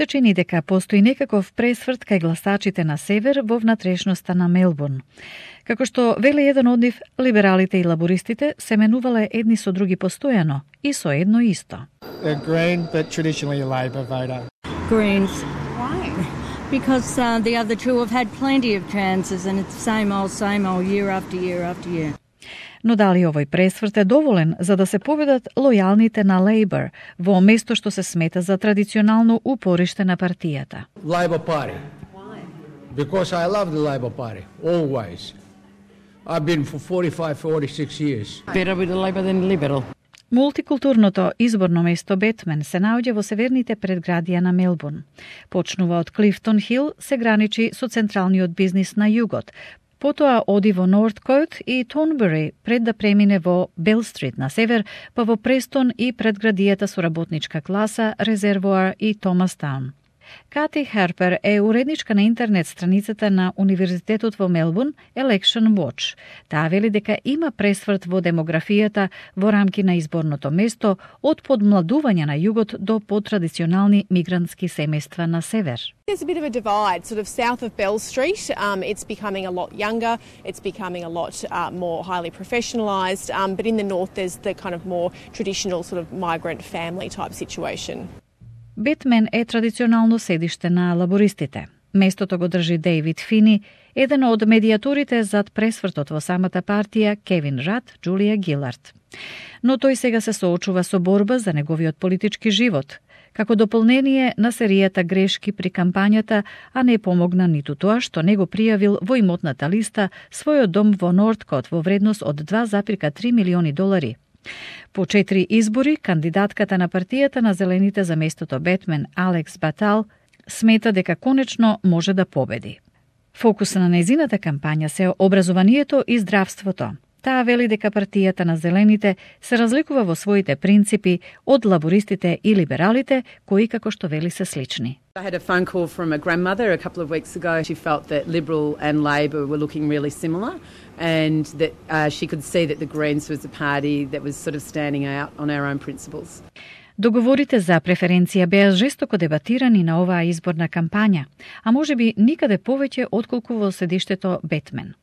се чини дека постои некаков пресврт кај гласачите на север во внатрешноста на Мелбурн. Како што вели еден од нив, либералите и лабористите се менувале едни со други постојано и со едно исто. They're green, but traditionally a Labor voter. Greens. Why? Because the other two have had plenty of chances and it's same old year after year after year. Но дали овој пресврт е доволен за да се победат лојалните на Лейбор во место што се смета за традиционално упориште на партијата? Labor Party. Why? Because I love the Labor Party, always. I've been for 46 years. Better with the Labor than Liberal. Мултикултурното изборно место Бетмен се наоѓа во северните предградија на Мелбурн. Почнува од Клифтон Хил, се граничи со централниот бизнис на југот, потоа оди во Норткоут и Тонбери пред да премине во Бел Стрит на север, па во Престон и предградијата со работничка класа, Резервоар и Томастаун. Кати Харпер е уредничка на интернет страницата на Универзитетот во Мелбурн Election Watch. Таа вели дека има пресврт во демографијата во рамки на изборното место од подмладување на југот до потрадиционални мигрантски семејства на север. There's a bit of a divide, sort of south of Bell Street. It's becoming a lot younger, it's becoming a lot more highly professionalised, but in the north there's the kind of more traditional sort of migrant family type situation. Бетмен е традиционално седиште на лабористите. Местото го држи Дейвид Фини, еден од медијаторите зад пресвртот во самата партија, Кевин Рад, Джулија Гилард. Но тој сега се соочува со борба за неговиот политички живот, како дополнение на серијата грешки при кампањата, а не помогна ниту тоа што не го пријавил во имотната листа својот дом во Норткот во вредност од $2,3 милиони. По 4 избори, кандидатката на партијата на Зелените за местото Бетмен, Алекс Батал, смета дека конечно може да победи. Фокус на незината кампања се образованието и здравството. Таа вели дека партијата на Зелените се разликува во своите принципи од лабористите и либералите, кои како што вели се слични. I had a phone call from a grandmother a couple of weeks ago. She felt that Liberal and Labor were looking really similar and that she could see that the Greens was a party that was sort of standing out on our own principles. Договорите за преференција беа жестоко дебатирани на оваа изборна кампања, а можеби никаде повеќе отколку во седиштето Бетмен.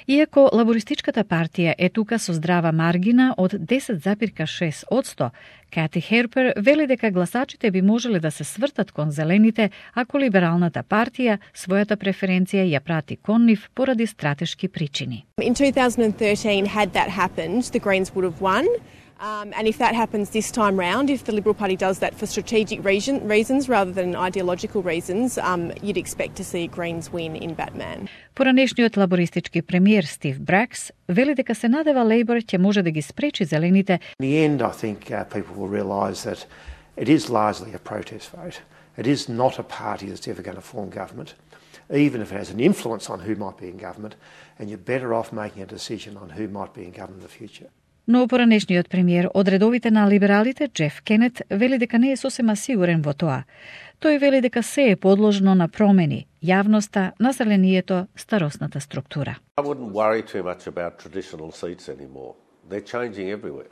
Иако лабористичката партија е тука со здрава маргина од 10,6%, Кати Харпер вели дека гласачите би можеле да се свртат кон Зелените ако либералната партија својата преференција ја прати кон нив поради стратешки причини. In 2013, had that happened, the Greens would have won. And if that happens this time round, if the Liberal Party does that for strategic reasons rather than ideological reasons, you'd expect to see Greens win in Batman. Поранешниот лабористички премиер Стив Бракс вели дека се надева Лейбор ќе може да ги спречи Зелените. In the end, I think people will realise that it is largely a protest vote. It is not a party that's ever going to form government, even if it has an influence on who might be in government, and you're better off making a decision on who might be in government in the future. Но поранешниот премиер од редовите на либералите, Джеф Кенет, вели дека не е сосема сигурен во тоа. Тој вели дека се е подложно на промени, јавноста, населението, старосната структура. I wouldn't worry too much about traditional seats anymore. They're changing everywhere.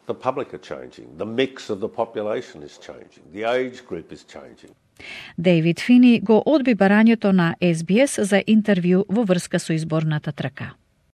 The public are changing. The mix of the population is changing. The age group is changing. Дейвид Фини го одби барањето на SBS за интервју во врска со изборната трка.